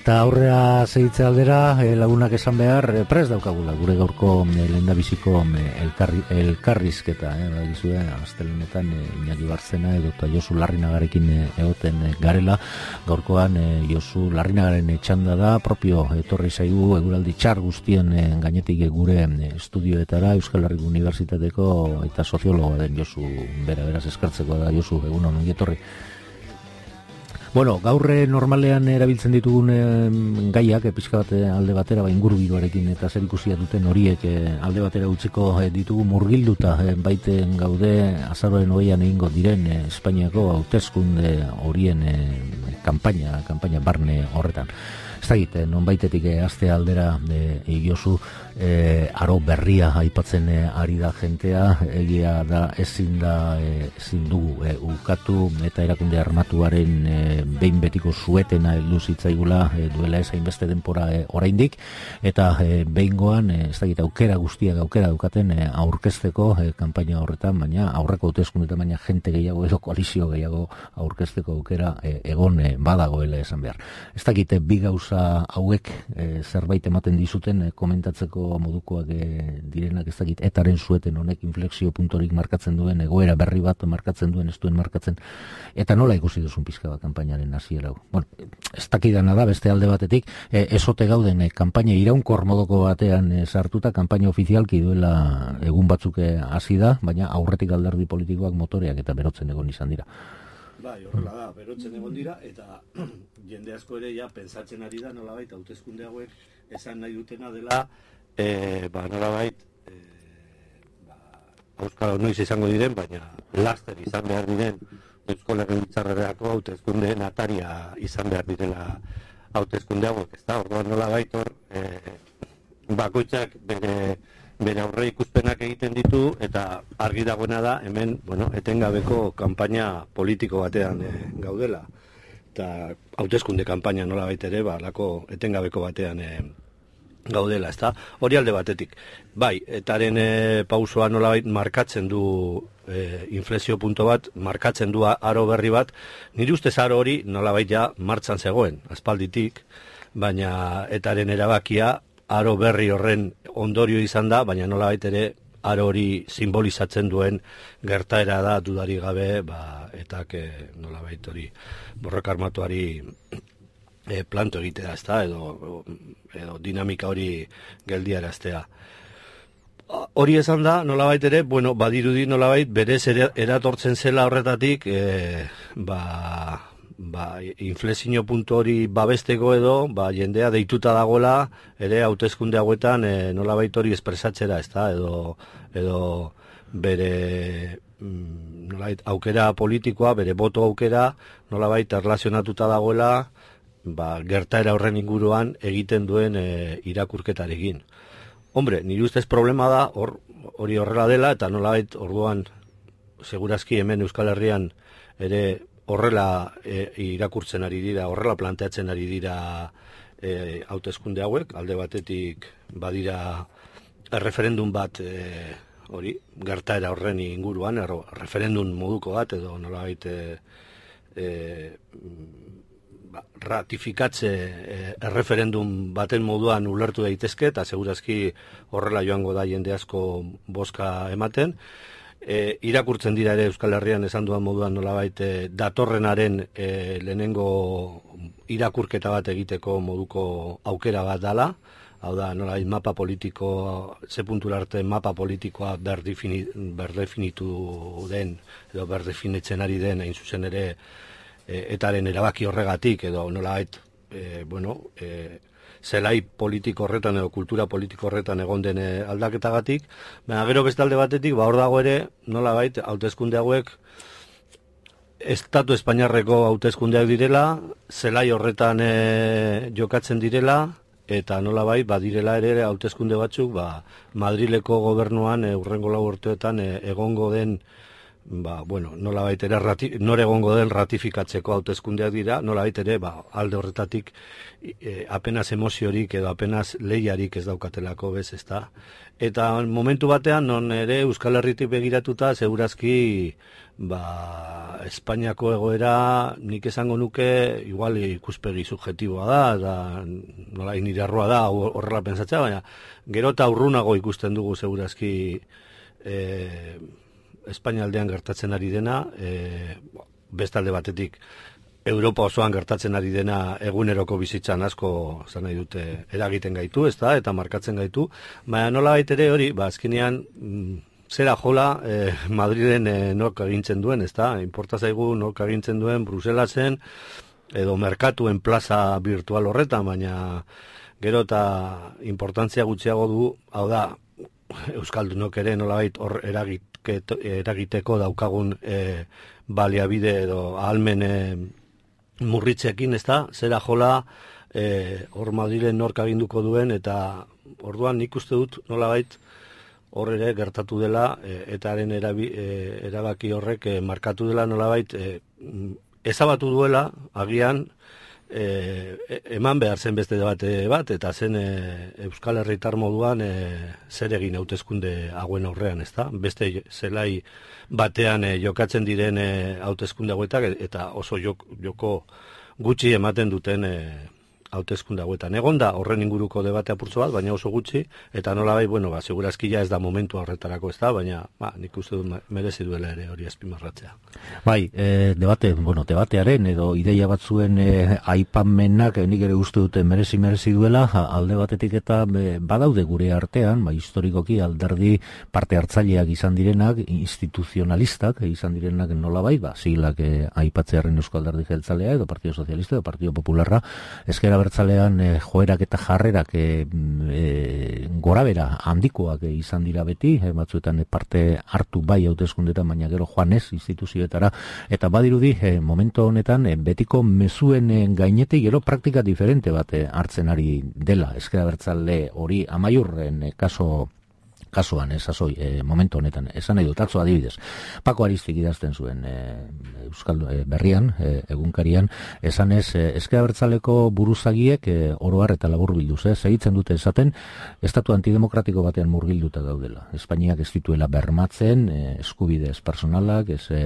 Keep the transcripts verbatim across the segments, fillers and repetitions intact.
Eta aurrea segitze aldera, e, lagunak esan behar, e, prest daukagula, gure gaurko e, lehendabiziko e, elkarri, elkarrizketa, e, bagizu, e, astelenetan e, Iñaki Barzena edo eta Josu Larrinagarekin e, egoten e, garela, gaurkoan e, Josu Larrinagaren txanda da, propio etorri zaigu eguraldi txar guztien e, gainetik e, gure e, estudioetara, Euskal Herriko Unibertsitateko eta soziologoa den Josu, bera, beraz eskartzeko da Josu, egun hon, ongi etorri. Bueno, gaurre normalean erabiltzen ditugun e, gaiak, e, pixka bat alde batera, ba, ingurugiroarekin eta zer ikusia duten horiek e, alde batera utziko e, ditugu murgilduta e, baiten gaude azaroaren hogeian egingo diren e, Espainiako hauteskunde horien e, kanpaina, kanpaina barne horretan. Ez da egite, non baitetik e, aste aldera e, Josu e, aro berria aipatzen e, ari da jentea, egia da ezin da e, ezin dugu e, ukatu eta erakunde armatuaren e, behin betiko suetena heldu zitzaigula e, duela ez hainbeste denpora e, oraindik, eta e, behingoan e, ez da egite aukera guztiak aukera daukaten e, aurkezteko e, kanpaina horretan, baina aurreko hauteskundeetan baina jente gehiago edo koalizio gehiago aurkezteko aukera e, egon e, badagoela esan behar. Ez da egite bi gauza hauek e, zerbait ematen dizuten e, komentatzeko modukoak e, direnak, ez dakit etaren sueten honek inflexio puntorik markatzen duen, egoera berri bat markatzen duen, ez duen markatzen, eta nola ikusi duzun pizka bat kanpainaren hasiera hau. Bueno, ez dakidana da beste alde batetik, e, esote gauden e, kanpaina iraunkor modoko batean e, sartuta, kanpaina ofizialki duela egun batzuk hasi da, baina aurretik alderdi politikoak motoreak eta berotzen egon izan dira. Bai, horrela da, berotzen egon dira, eta jende asko ere ja pentsatzen ari da nolabait hauteskunde hauek esan nahi dutena dela, e, ba nolabait e, ba, auskalo noiz izango diren, baina laster izan behar diren Eusko Legebiltzarrerako hauteskundeen ataria izan behar direla hauteskunde hauek, ez da, orduan nolabait hor e, bakoitzak bere bere aurre ikuspenak egiten ditu, eta argi dagoena da hemen, bueno, etengabeko kanpaina politiko batean e, gaudela. Eta hauteskunde kanpaina nolabait ere, ba, lako etengabeko batean e, gaudela, ezta? Hori alde batetik. Bai, etaren e, pausoa nolabait markatzen du e, inflexio punto bat, markatzen du aro berri bat. Nire ustez aro hori nolabait ja martxan zegoen, aspalditik, baina etaren erabakia aro berri horren ondorio izan da, baina nolabait ere aro hori simbolizatzen duen gertaera da dudari gabe, ba, etak e, nolabait hori borroka armatuari e, planto egitea, ezta, edo, edo dinamika hori geldiaraztea. Hori esan da, nolabait ere, bueno, badirudi nolabait berez eratortzen zela horretatik, e, ba, ba, inflexio puntu hori babesteko edo, ba, jendea deituta dagoela, ere hauteskunde hauetan e, nolabait hori espresatzera, ezta, edo, edo bere nolabait aukera politikoa, bere boto aukera, nolabait erlazionatuta dagoela, ba, gertaera horren inguruan egiten duen e, irakurketarekin. Hombre, nire ustez problema da, hor, hori horrela dela, eta nolabait orduan, segurazki hemen Euskal Herrian ere horrela e, irakurtzen ari dira, horrela planteatzen ari dira e, hauteskunde hauek, alde batetik badira referendum bat e, hori, gertaera horren inguruan, erro, referendum moduko bat, edo nolabait e, e, ba, ratifikatze e, referendum baten moduan ulertu daitezke, eta segurazki horrela joango da jende asko bozka ematen. E, irakurtzen dira ere Euskal Herrian esan duan moduan nolabait e, datorrenaren e, lehenengo irakurketa bat egiteko moduko aukera bat dala, hau da nolabait mapa politiko, ze puntura arte mapa politikoa berdefini, berdefinitu den, edo berdefinitzen ari den, hain zuzen ere e, etaren erabaki horregatik, edo nolabait, e, bueno, e, zelai politiko horretan edo kultura politiko horretan egon den aldaketagatik, baina gero beste alde batetik, ba hor dago ere, nolabait, hauteskunde hauek Estatu Espainiarreko hauteskundeak direla, zelai horretan e, jokatzen direla, eta nolabait, badirela ere hauteskunde batzuk, ba, Madrileko gobernuan e, urrengo lau urteetan e, egongo den ba, bueno, nola baitere nore egongo den ratifikatzeko hauteskundeak dira, nola baitere, ba, alde horretatik e, apenas emoziorik edo apenas lehiarik ez daukatelako bez, ezta. Eta momentu batean, non ere Euskal Herritik begiratuta, segurazki, ba, Espainiako egoera nik esango nuke, igual ikuspegi subjetiboa da, da nola inirarroa da, horrela pentsatzea, baina gero eta urrunago ikusten dugu segurazki e, Espainialdean gertatzen ari dena, e, bestalde batetik Europa osoan gertatzen ari dena eguneroko bizitzan asko zan nahi dute eragiten gaitu, ez da, eta markatzen gaitu, baina nola baitere hori, ba, azkenean mm, zera jola e, Madriden e, nork agintzen duen, ez da, inporta zaigu nork agintzen duen Bruselasen edo merkatuen plaza virtual horretan, baina gero eta importantzia gutxiago du, hau da, Euskaldunok ere nolabait hor eragit eragiteko daukagun e, baliabide edo ahalmen e, murritzekin, ez da, zera jola e, hor Madrilen nork aginduko duen, eta orduan nik uste dut nolabait hor ere gertatu dela e, etaren erabi, e, erabaki horrek e, markatu dela nolabait e, ezabatu duela agian E, eman behar zen beste debate bat, eta zen e, Euskal Herritar moduan e, zer egin hauteskunde hauen aurrean, ezta? Beste zelai batean e, jokatzen diren e, hauteskunde hauetak, eta oso jok, joko gutxi ematen duten e, hauteskunde hauetan. Egon da horren inguruko debate apurtzo bat, baina oso gutxi, eta nolabai, bueno, ba, segurazki ja ez da momentu horretarako, ez da, baina ba, nik uste dut merezi duela ere hori azpimarratzea. Bai, e, debate, bueno, debatearen edo ideia batzuen e, aipamenak nik ere uste dute merezi merezi duela, alde batetik eta e, badaude gure artean, ba, historikoki alderdi parte hartzaileak izan direnak, instituzionalistak izan direnak nolabai, ba, sigilak e, aipatzearen Eusko Alderdi Jeltzalea edo Partido Socialista edo Partido Popularra, ezkera bertzalean e, joerak eta jarrerak e, e, gorabera handikoak e, izan dira beti, e, batzuetan e, parte hartu bai hauteskundetan, baina gero joanez instituzioetara, eta badirudi e, momentu honetan e, betiko mezuen e, gainetik gero praktika diferente bat e, hartzen ari dela, ezkera bertzale hori amaiurren e, kaso kasuan, esazoi, e, momentu honetan, esan nahi dut, atzo adibidez. Pako Aristik idazten zuen e, Euskal e, berrian, e, egunkarian, esan ez, e, ezkera bertzaleko buruzagiek e, oroar eta labur bilduz, e, segitzen dute esaten, estatu antidemokratiko batean murgilduta daudela. Espainiak ez dituela bermatzen, e, eskubidez personalak, ez e,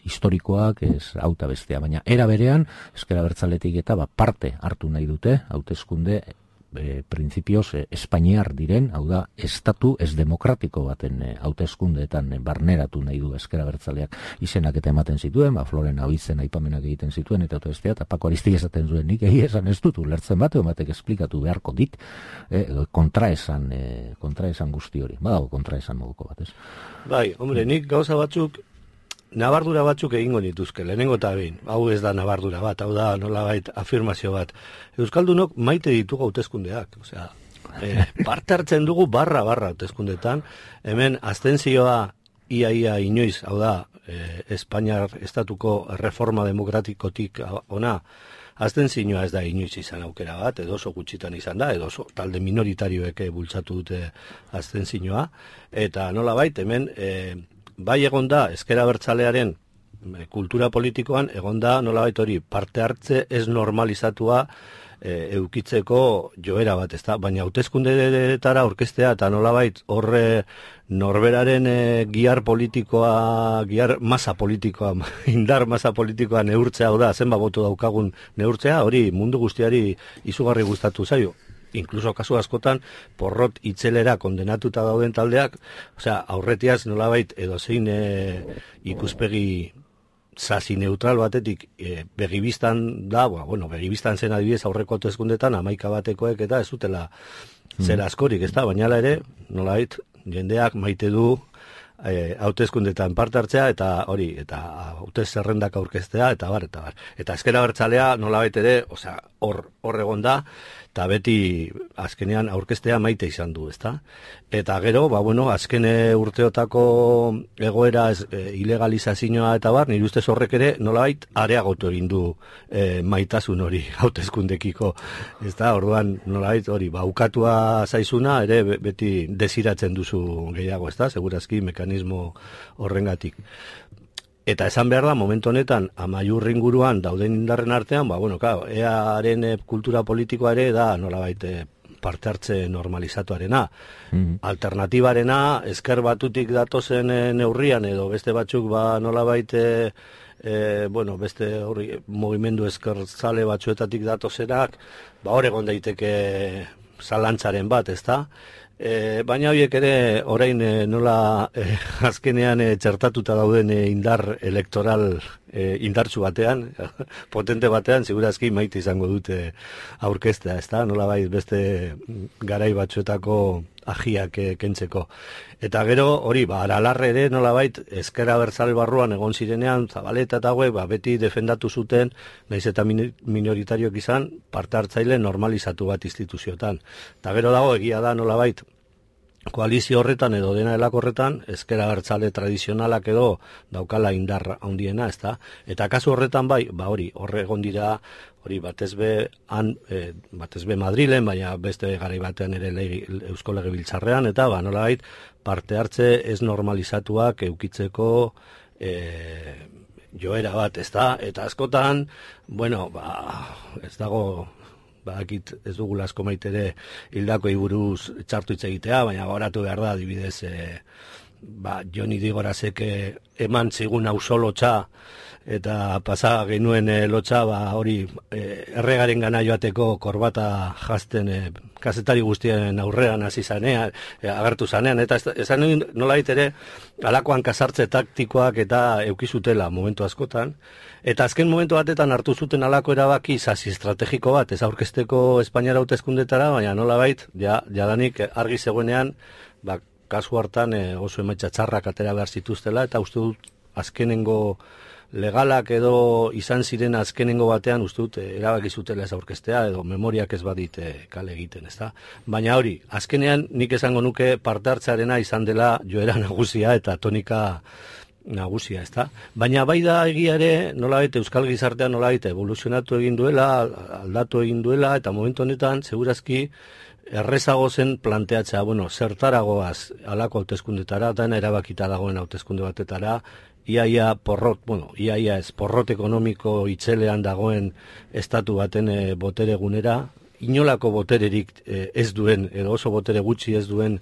historikoak, ez auta bestea, baina era berean, ezkera bertzaletik eta ba, parte hartu nahi dute, hauteskunde E, printzipioz e, espainiar diren, hau da, estatu ez demokratiko baten e, hauteskundeetan e, barneratu nahi du ezkera bertzaleak izenak eta ematen zituen, ba, Floren Abizen aipamenak egiten zituen, eta bestea, eta Pako Aristik esaten zuen, nik egi esan ez dut ulertzen bat, batek esplikatu beharko dit, e, kontraesan, e, kontraesan guzti hori, badago kontraesan moduko bat, ez? Bai, hombre, nik gauza batzuk nabardura batzuk egingo nituzke, lehenengo eta behin, hau ez da nabardura bat, hau da nolabait afirmazio bat. Euskaldunok maite ditugu hauteskundeak, osea, e, parte hartzen dugu barra barra hauteskundetan, hemen abstentzioa ia ia inoiz, hau da, e, Espainiar estatuko reforma demokratikotik ona, abstentzioa ez da inoiz izan aukera bat, edo oso gutxitan izan da, edo oso talde minoritarioek bultzatu dute abstentzioa, eta nolabait hemen e, bai egonda ezkera bertzalearen kultura politikoan, egonda nolabait hori parte hartze ez normalizatua e, eukitzeko joera bat, ezta? Baina hauteskundeetara orkestea eta nolabait horre norberaren e, giar politikoa, giar masa politikoa, indar masa politikoa neurtzea, hau da, zenba boto daukagun neurtzea, hori mundu guztiari izugarri gustatu zaio. Inkluso kasu askotan porrot itzelera kondenatuta dauden taldeak, osea, aurretiaz nolabait edo zein e, ikuspegi sasi neutral batetik e, begibistan da, ba, bueno, begibistan zen adibidez aurreko hauteskundetan hamaika batekoek eta ez dutela mm. zera askorik, ez da, baina ere, nolabait, jendeak maite du e, hauteskundetan parte hartzea eta hori, eta hautez zerrendak aurkeztea, eta bar, eta bar. Eta ezkera bertzalea nolabait ere, osea, hor, hor egon da, eta beti azkenean aurkeztea maite izan du, ezta? Eta gero, ba, bueno, azkene urteotako egoera ez, e, ilegalizazioa eta bar, nire ustez horrek ere nolabait areagotu egin du e, maitasun hori hauteskundekiko, ezta? Orduan nolabait hori, ba, ukatua zaizuna ere beti desiratzen duzu gehiago, ezta? Segurazki mekanismo horrengatik. Eta esan behar da, momentu honetan, amaiur inguruan dauden indarren artean, ba, bueno, claro, earen kultura politikoa ere da nolabait parte hartze normalizatuarena. Mm-hmm. Alternatibarena, ezker batutik datozen neurrian, edo beste batzuk ba nolabait, e, e, bueno, beste hori, mugimendu ezkertzale batzuetatik datozenak, ba hor egon daiteke zalantzaren bat, ezta? E, baina horiek ere orain e, nola e, azkenean e, txertatuta dauden e, indar elektoral e, indartsu batean, potente batean, segurazki maite izango dute aurkeztea, ezta? Nola bai beste garai batzuetako agiak e, kentzeko. Eta gero hori, ba, aralarre ere nolabait ezker abertzale barruan egon zirenean, Zabaleta eta hauek, ba, beti defendatu zuten, naiz eta minoritarioak izan, parte hartzaile normalizatu bat instituzioetan. Eta gero dago egia da nolabait, koalizio horretan edo dena delako horretan, ezker abertzale tradizionalak edo daukala indar handiena, ezta? Eta kasu horretan bai, ba hori, horre egon dira, hori batez be, han, e, batez be Madrilen, baina beste garai batean ere legi, Eusko Legebiltzarrean, eta ba nolabait, parte hartze ez normalizatuak eukitzeko e, joera bat, ezta? Eta askotan, bueno, ba, ez dago, bakit ez dugula asko maitere hildako buruz txartu hitz egitea, baina goratu behar da, adibidez, e, ba, Joni Digorazek eman zigun auzo lotxa, eta pasa genuen e, lotxa, ba, hori e, erregaren gana joateko korbata jazten e, kazetari guztien aurrean hasi zanean, e, agertu zanean, eta esan nolait ere, alakoan kasartze taktikoak eta eukizutela momentu askotan, eta azken momentu batetan hartu zuten alako erabaki sasi estrategiko bat, ez aurkezteko Espainiara hauteskundetara, baina nolabait, ja, jadanik argi zegoenean, ba, kasu hartan e, oso emaitza txarrak atera behar zituztela, eta uste dut azkenengo legalak edo izan ziren azkenengo batean uste dut erabaki zutela ez aurkeztea edo memoriak ez badite kale egiten, ezta? Baina hori, azkenean nik esango nuke parte hartzearena izan dela joera nagusia eta tonika nagusia, ezta? Baina bai da egia ere, nolabait euskal gizartean nolabait evoluzionatu egin duela, aldatu egin duela, eta momentu honetan segurazki errezago zen planteatzea, bueno, zertaragoaz alako hauteskundetara, dana erabakita dagoen hauteskunde batetara, iaia porrot, bueno, iaia ez porrot ekonomiko itzelean dagoen estatu baten e, botere gunera, inolako botererik e, ez duen, edo oso botere gutxi ez duen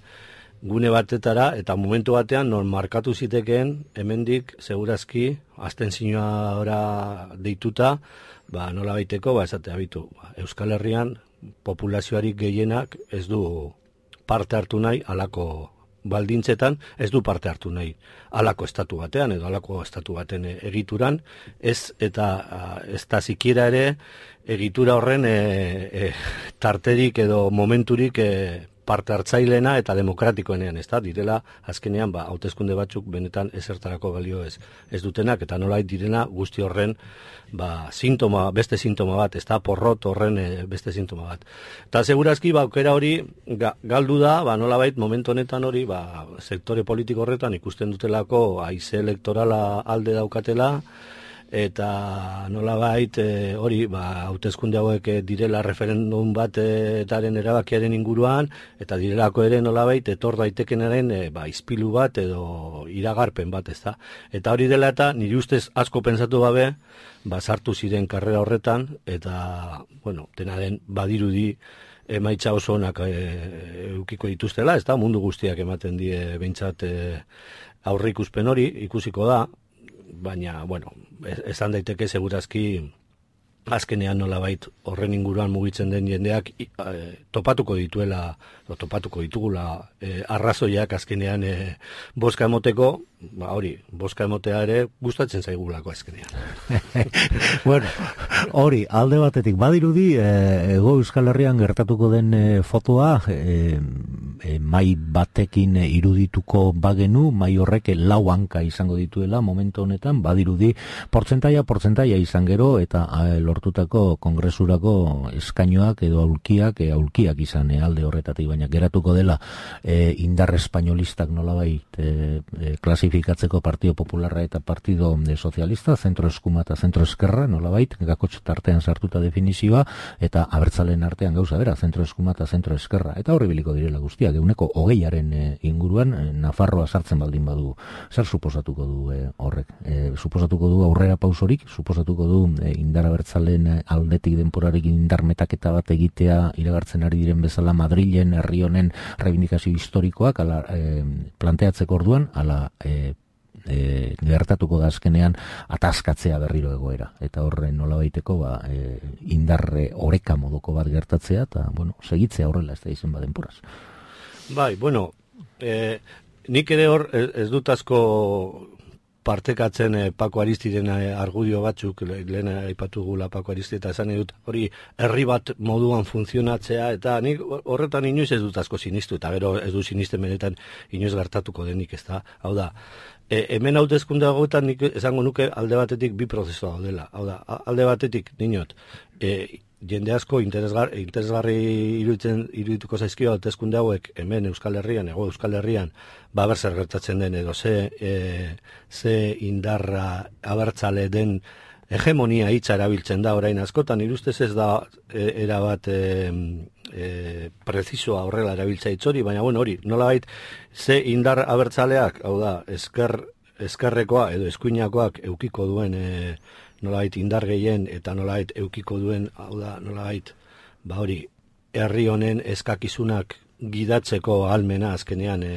gune batetara, eta momentu batean non markatu zitekeen, hemendik segurazki, abstentzioa deituta, ba, nola baiteko, ba, esatea bitu, ba, Euskal Herrian populazioarik gehienak ez du parte hartu nahi alako baldintzetan, ez du parte hartu nahi alako estatu batean edo alako estatu baten egituran, ez eta ez da sikiera ere egitura horren e, e, tarterik edo momenturik e, parte hartzailena eta demokratikoenean, ez da, direla azkenean ba, hauteskunde batzuk benetan ezertarako balio ez, ez dutenak, eta nolait direna guzti horren ba, sintoma, beste sintoma bat, ez da, porrot horren e, beste sintoma bat. Eta segurazki, ba, aukera hori ga, galdu da, ba, nolabait momentu honetan hori, ba, sektore politiko horretan ikusten dutelako haize elektorala alde daukatela, eta nolabait e, hori ba hauteskunde hauek e, direla referendum bataren erabakiaren inguruan eta direlako ere nolabait etor daitekenaren e, ba izpilu bat edo iragarpen bat, ezta. Eta hori dela eta nire ustez asko pentsatu gabe ba sartu ziren karrera horretan eta bueno, dena den badirudi emaitza oso onak e, eukiko dituztela, ezta, mundu guztiak ematen die behintzat e, aurreikuspen hori ikusiko da. Baina, bueno, esan daiteke segurazki azkenean nolabait horren inguruan mugitzen den jendeak e, topatuko dituela, o, topatuko ditugula e, arrazoiak azkenean e, boska emoteko, ba hori, boska emotea ere gustatzen zaigulako azkenean. Bueno, hori, alde batetik badirudi, e, ego Euskal Herrian gertatuko den e, fotoa, e, e, mai batekin irudituko bagenu, mai horrek lau hanka izango dituela momentu honetan, badirudi portzentaia, portzentaia izan gero, eta e, lortu lortutako kongresurako eskainoak edo aulkiak, e, aulkiak izan e, alde horretatik, baina geratuko dela e, indar espainolistak nolabait e, e, klasifikatzeko Partido Popularra eta Partido de Sozialista, zentro eskuma eta zentro eskerra, nolabait, gakotx tartean sartuta definizioa, eta abertzalen artean gauza bera, zentro eskuma eta zentro eskerra, eta horri biliko direla guztiak, eguneko hogeiaren e, inguruan, e, Nafarroa sartzen baldin badu, zer suposatuko du e, horrek? E, suposatuko du aurrera pausorik, suposatuko du e, indar abertzalen aldetik denporarik indar metaketa bat egitea iragartzen ari diren bezala Madrilen herri honen reivindikazio historikoak ala, e, planteatzeko orduan, ala e, e, gertatuko da azkenean ataskatzea berriro egoera. Eta horren nola baiteko ba, e, indarre oreka moduko bat gertatzea, eta bueno, segitzea horrela ez da izen badenporaz. Bai, bueno, e, nik ere hor ez, ez dut asko partekatzen eh, Pako Aristiren eh, argudio batzuk, lehen aipatu gula Pako Aristi, eta esan dut hori herri bat moduan funtzionatzea, eta nik horretan inoiz ez dut asko sinistu, eta gero ez du sinisten benetan inoiz gertatuko denik, ez da. Hau da, e, hemen hauteskunde hauetan nik esango nuke alde batetik bi prozesu daudela. Hau da, alde batetik, dinot, e, jende asko interesgar, interesgarri iruditzen irudituko zaizkio hauteskunde hauek hemen Euskal Herrian, ego Euskal Herrian, ba ber zer gertatzen den edo ze, e, ze indarra abertzale den hegemonia hitza erabiltzen da orain askotan, irustez ez da e, erabat e, e, prezisoa horrela erabiltza hitzori, baina bueno, hori, nolabait ze indar abertzaleak, hau da, esker, eskerrekoa edo eskuinakoak eukiko duen e, nolabait indar gehien eta nolabait eukiko duen, hau da, nolabait, ba hori, herri honen eskakizunak gidatzeko ahalmena azkenean e,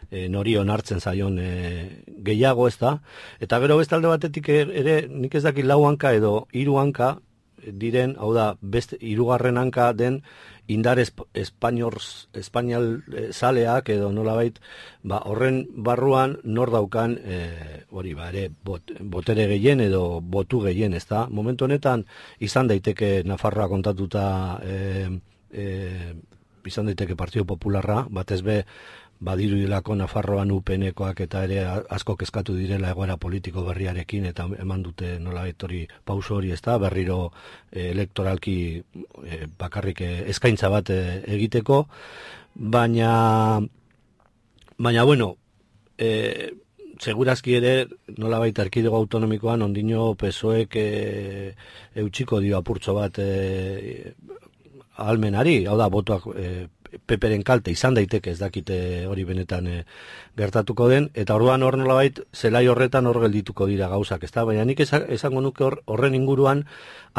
e, nori onartzen zaion e, gehiago ez da, eta gero bestalde batetik ere nik ez dakit lau hanka edo hiru hanka diren, hau da, beste hirugarren hanka den indar esp espainol zaleak edo nolabait, ba, horren barruan nor daukan e, hori ba, ere bot, botere gehien edo botu gehien, ez da? Momentu honetan izan daiteke Nafarroa kontatuta e, e, izan daiteke Partido Popularra, batez be badiru dilako Nafarroan U P N-koak eta ere asko kezkatu direla egoera politiko berriarekin eta eman dute nolabait hori pauso hori, ez da, berriro e, elektoralki e, bakarrik e, eskaintza bat e, egiteko, baina baina bueno, e, segurazki ere nolabait erkidego autonomikoan ondino P S O Ek e, eutxiko dio apurtxo bat e, ahalmenari, hau da, botuak e, Peperen kalte izan daiteke ez dakite hori benetan e, gertatuko den, eta orduan hor nolabait zelai horretan hor geldituko dira gauzak, ezta? Baina nik esango nuke hor, horren inguruan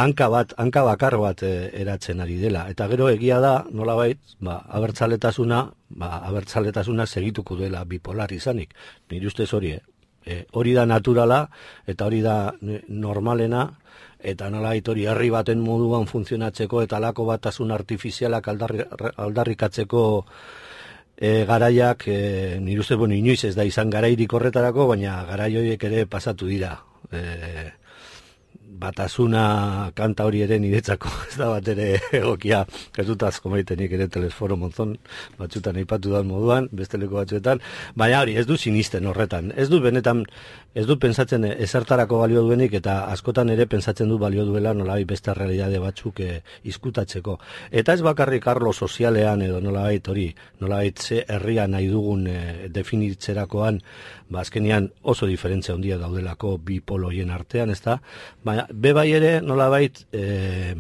hanka bat, hanka bakar bat e, eratzen ari dela, eta gero egia da nolabait, ba, abertzaletasuna, ba, abertzaletasuna segituko dela bipolar izanik, nire ustez hori, e, hori da naturala, eta hori da normalena, eta nolabait hori herri baten moduan funtzionatzeko eta alako batasun artifizialak aldarri, aldarrikatzeko e, garaiak, e, nire ustez, bueno, inoiz ez da izan garairik horretarako, baina garai horiek ere pasatu dira. E, batasuna kanta hori ere niretzako ez da bat ere egokia, ez dut asko maitenik ere Telesforo Monzon batzutan aipatu da moduan, beste leku batzuetan, baina hori ez du sinisten horretan, ez du benetan, ez du pentsatzen ezertarako balio duenik eta askotan ere pentsatzen du balio duela nolabait beste realitate batzuk e, izkutatzeko. Eta ez bakarrik arlo sozialean edo nolabait hori, nolabait ze herria nahi dugun e, definitzerakoan, ba azkenean oso diferentzia handia daudelako bi poloien artean, ez da? Baina be bai ere nolabait e,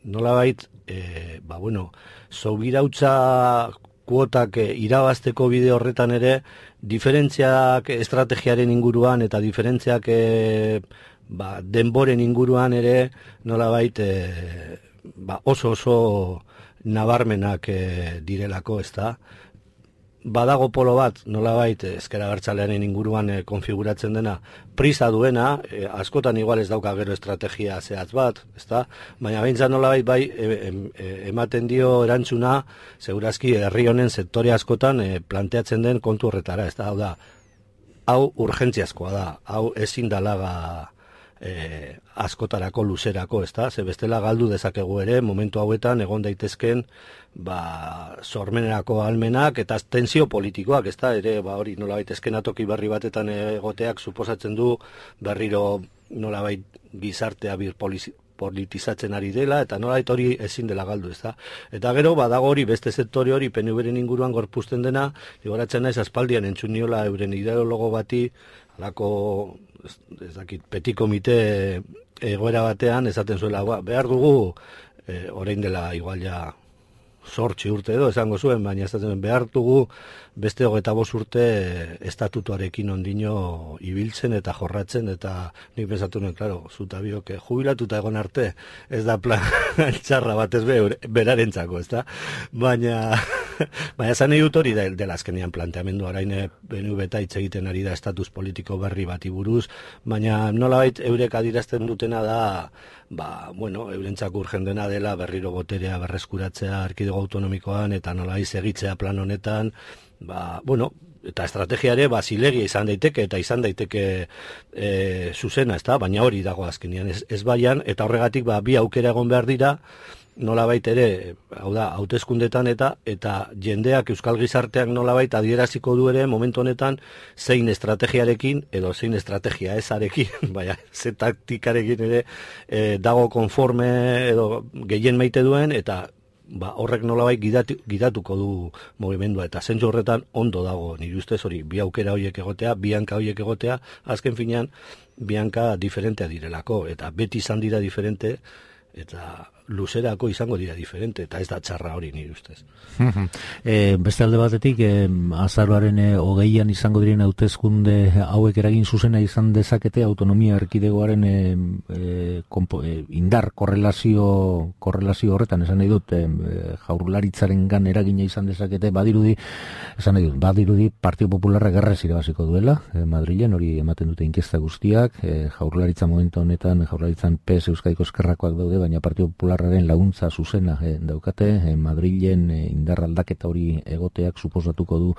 nolabait e, ba bueno, sobirautza kuotak e, irabazteko bide horretan ere diferentziak estrategiaren inguruan eta diferentziak e, ba, denboren inguruan ere nolabait e, ba, oso oso nabarmenak e, direlako, ez da? Badago polo bat, nolabait, ezker abertzalearen inguruan e, konfiguratzen dena, prisa duena, e, askotan igual ez dauka gero estrategia zehatz bat, ezta? Baina behintzat nolabait bai e, e, ematen dio erantzuna, segurazki herri honen sektore askotan e, planteatzen den kontu horretara, ezta? Hau da, hau urgentziazkoa da, hau ezin dalaga e, askotarako luzerako, ezta? Ze bestela galdu dezakegu ere, momentu hauetan egon daitezken ba, sormenerako ahalmenak eta tensio politikoak, ezta? Ere, ba, hori nolabait eskenatoki berri batetan egoteak suposatzen du berriro nolabait gizartea bir politizatzen ari dela, eta nolabait hori ezin dela galdu, ez da. Eta gero, badago hori, beste sektore hori, P N V-ren inguruan gorpuzten dena, gogoratzen naiz aspaldian entzun niola euren ideologo bati, halako, ez, ez dakit, petit komite egoera batean, esaten zuela, ba, behar dugu, e, orain dela igual ja zortzi urte edo, esango zuen, baina esaten behar dugu beste hogeita bost urte estatutuarekin ondino ibiltzen eta jorratzen, eta nik pensatu nuen, klaro, zuta biok, jubilatuta egon arte, ez da plan txarra bat ez be, berarentzako, ez da? Baina, baina zan nahi dut hori dela azkenean planteamendu, orain B N V eta hitz egiten ari da estatus politiko berri bati buruz, baina nolabait eurek adirazten dutena da, ba, bueno, eurentzako urgen dena dela berriro boterea berreskuratzea erkidego autonomikoan, eta nolabait segitzea plan honetan, ba, bueno, eta estrategiare ba zilegia izan daiteke eta izan daiteke e, zuzena, ezta? Baina hori dago azkenean ez, ez baian, eta horregatik ba bi aukera egon behar dira, nolabait ere, hau da, hauteskundetan eta eta jendeak euskal gizarteak nolabait adieraziko du ere momentu honetan zein estrategiarekin edo zein estrategia ezarekin, baina ze taktikarekin ere e, dago konforme edo gehien maite duen, eta ba, horrek nolabait gidatu, gidatuko du mugimendua, eta zentzu horretan ondo dago, nire ustez hori, bi aukera horiek egotea, bi hanka horiek egotea, azken finean, bi hanka diferentea direlako, eta beti izan dira diferente, eta luzerako izango dira diferente, eta ez da txarra hori nire ustez. e, beste alde batetik, e, azaroaren e, hogeian izango diren hauteskunde hauek eragin zuzena izan dezakete autonomia erkidegoaren e, e, kompo, e, indar korrelazio korrelazio horretan, esan nahi dut, e, jaurlaritzaren gan eragina izan dezakete, badirudi, esan nahi dut, badirudi Partido Popularra gerrez irabaziko duela, e, Madrilen, hori ematen dute inkesta guztiak, e, jaurlaritza momentu honetan, jaurlaritzan P S Euskadiko Ezkerrakoak daude, baina Partido Popularra laguntza zuzena eh, daukate, eh, Madrilen eh, indar aldaketa hori egoteak suposatuko du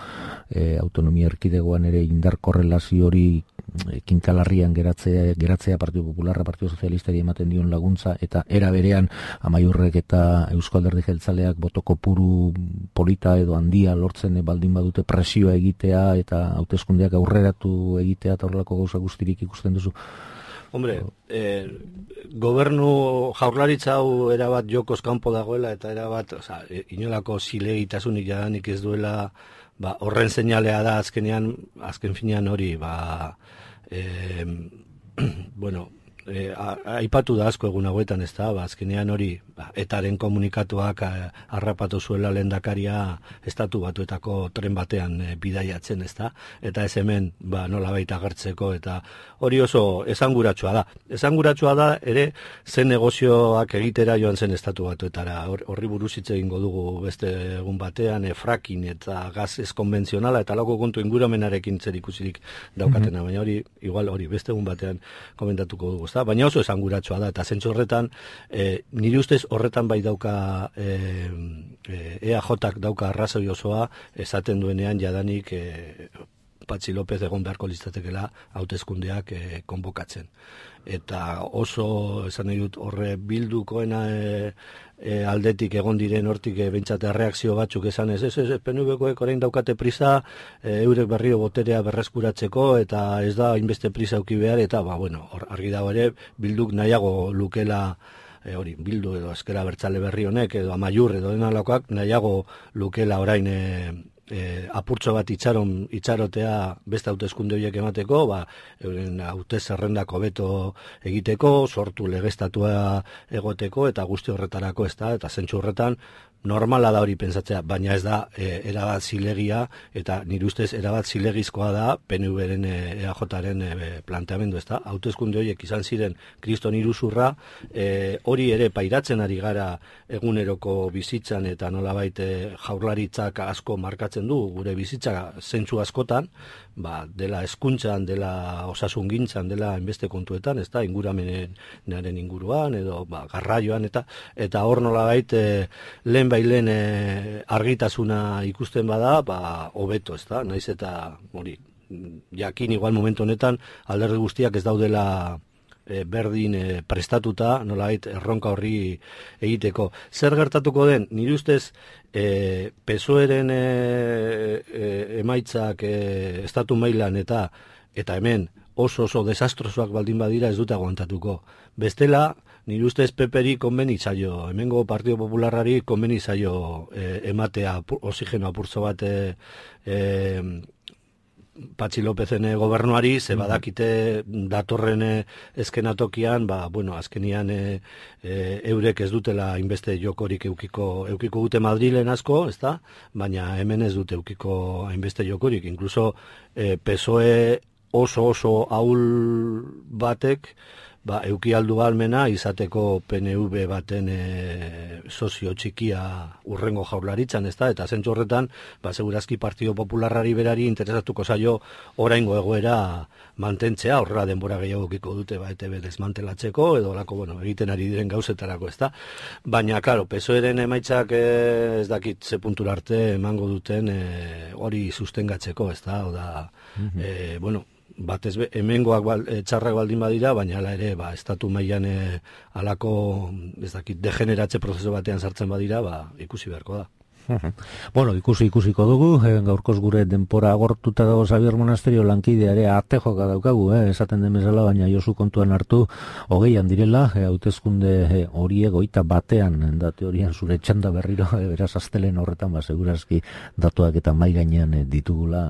eh, autonomia erkidegoan ere indar korrelazio hori eh, kinkalarrian geratzea, geratzea Partido Popularra, Partido Sozialistari ematen dion laguntza, eta era berean Amaiurrek eta Eusko Alderdi Jeltzaleak boto kopuru polita edo handia lortzen eh, baldin badute presioa egitea eta hauteskundeak aurreratu egitea eta horrelako gauza guztirik ikusten duzu. Hombre, eh, gobernu jaurlaritza hau erabat jokoz kanpo dagoela, eta erabat, oza, inolako zilegitasunik jadanik ez duela, ba, horren seinalea da azkenean, azken finean hori, ba, eh, bueno, eh, aipatu da asko egun hauetan, ez da, ba, azkenean hori, ba, etaren komunikatuak a, harrapatu zuela lehendakaria estatu batuetako tren batean e, bidaiatzen, ez da, eta ez hemen, ba, nolabait agertzeko, eta hori oso esanguratsua da. Esanguratsua da ere zen negozioak egitera joan zen estatu batuetara. Horri buruz hitz egingo dugu beste egun batean, e, fracking eta gaz ez konbentzionala eta lako kontu inguramenarekin zer ikusirik daukatena, mm-hmm. baina hori igual hori beste egun batean komentatuko dugu, ezta? Baina oso esanguratsua da, eta zentzu horretan e, nire ustez horretan bai dauka e, E A Jak dauka arrazoi osoa esaten duenean jadanik e, Patxi López egon beharko listatekela hauteskundeak e, konbokatzen. Eta oso, esan nahi dut, horre bildukoena e, e, aldetik egon diren hortik e, bentsate reakzio batzuk esan ez, ez, ez, P N V-koek orain daukate prisa, e, eurek berrio boterea berreskuratzeko, eta ez da hainbeste prisa auki behar, eta ba, bueno, hor, argi dago ere, bilduk nahiago lukela, E, hori, Bildu edo Ezker Abertzale berri honek edo Amaiur edo denalakoak nahiago lukela orain e, e, apurtxo bat itxaron, itxarotea beste hauteskunde horiek emateko, ba, euren hautez zerrendako beto egiteko, sortu legeztatua egoteko eta guzti horretarako ez da, eta zentsu horretan normala da hori pentsatzea, baina ez da e, erabat zilegia, eta nire ustez erabat zilegizkoa da P N V-ren E A Jaren e, planteamendu, ez da? Hauteskunde horiek izan ziren kriston iruzurra, e, hori ere pairatzen ari gara eguneroko bizitzan, eta nolabait e, jaurlaritzak asko markatzen du gure bizitza zentzu askotan, ba, dela hezkuntzan, dela osasungintzan, dela hainbeste kontuetan, ez da, inguramenaren inguruan, edo ba, garraioan, eta eta hor nolabait e, lehen bailen e, argitasuna ikusten bada, ba, hobeto, ez da, naiz eta hori, jakin igual momentu honetan alderdi guztiak ez daudela e, berdin e, prestatuta, nolabait erronka horri egiteko. Zer gertatuko den, nire ustez e, P S O E-ren e, e, emaitzak e, estatu mailan eta eta hemen oso oso desastrosoak baldin badira ez dute aguantatuko. Bestela, nire ustez Peperi konbeni zaio, hemengo Partido Popularrari konbeni zaio eh, ematea oxigeno apurtzo bat eh, eh, Patxi Lopezen gobernuari, ze badakite datorren eskenatokian, ba, bueno, azkenian e, e, eurek ez dutela inbeste jokorik eukiko, eukiko dute Madrilen asko, ezta? Baina hemen ez dute eukiko hainbeste jokorik. Inkluso e, P S O E oso oso ahul batek, ba, euki aldu almena izateko P N V baten e, sozio txikia urrengo jaurlaritzan, ez da? Eta zentzu horretan, ba, segurazki Partido Popularrari berari interesatuko zaio oraingo egoera mantentzea, horrela denbora gehiago kiko dute, ba, E T B desmantelatzeko, edo lako, bueno, egiten ari diren gauzetarako, ez da? Baina, klaro, P S O E-ren emaitzak e, ez dakit ze puntura arte emango duten e, hori sustengatzeko, ez da? Oda, mm-hmm. e, bueno, batez be, hemengoak bal, e, txarrak baldin badira, baina hala ere, ba, estatu mailan e, alako, ez dakit, degeneratze prozesu batean sartzen badira, ba, ikusi beharko da. Bueno, ikusi ikusiko dugu, eh, gaurkoz gure denpora agortuta dago Xabier Monasterio lankidea ere arte joka daukagu, eh, esaten den bezala, baina Josu kontuan hartu hogeian direla, eh, hauteskunde eh, horiek goita batean, da teorian zure txanda berriro, eh, beraz astelen horretan, ba, segurazki datuak eta mai gainean eh, ditugula,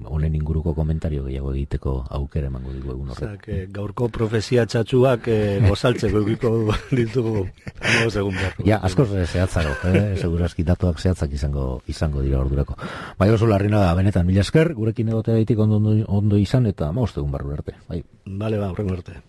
honen inguruko komentario gehiago egiteko aukera emango digu egun horretan. Osak, eh, gaurko profezia txatxuak eh, gozaltzeko egiko ditugu, no, segun beharko. Ja, askoz zehatzaro, eh, segurazki datuak zehatzak izango izango dira ordurako. Bai, oso Larrinaga, benetan mila esker, gurekin egotea daitik ondo, ondo izan eta maostegun barru arte. Bai. Bale, ba, horrengo arte.